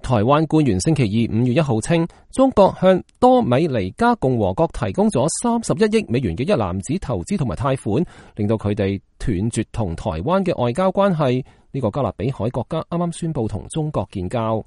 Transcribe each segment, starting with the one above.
台灣官員星期二5月1號稱，中國向多米尼加共和國提供咗31億美元嘅一籃子投資同埋貸款，令到佢哋斷絕同台灣嘅外交關係。呢個加勒比海國家啱啱宣布同中國建交。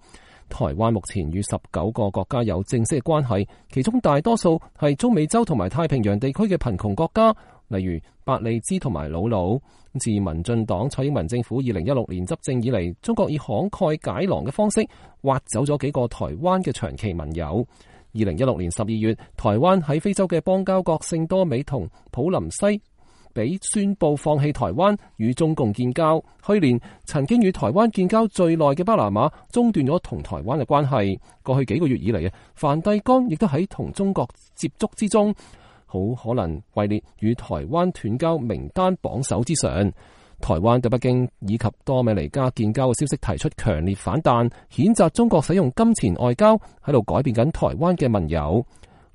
台灣目前與19個國家有正式嘅關係，其中大多數係中美洲同埋太平洋地區嘅貧窮國家，例如伯利茲同埋魯魯。自民進黨蔡英文政府2016年執政以嚟，中國以慷慨解囊嘅方式挖走咗幾個台灣嘅長期盟友。2016年12月，台灣喺非洲嘅邦交國聖多美同普林西比宣布放棄台灣與中共建交。去年曾經與台灣建交最耐嘅巴拿馬中斷咗同台灣嘅關係。過去幾個月以嚟，梵蒂岡亦都喺同中國接觸之中，好可能位列與台灣斷交名單榜首之上。台灣對北京以及多米尼加建交嘅消息提出強烈反彈，譴責中國使用金錢外交喺度改變緊台灣嘅盟友。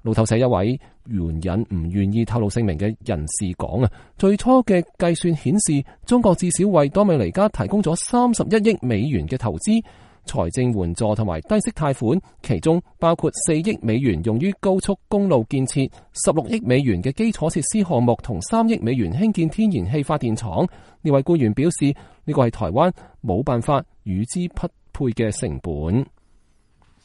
路透社一位援引唔願意透露姓名嘅人士講最初嘅計算顯示，中國至少為多米尼加提供咗31億美元嘅投資、財政援助同埋低息貸款，其中包括4億美元用於高速公路建設、16億美元嘅基礎設施項目同3億美元興建天然氣發電廠。呢位官員表示，呢個係台灣冇辦法與之匹配嘅成本。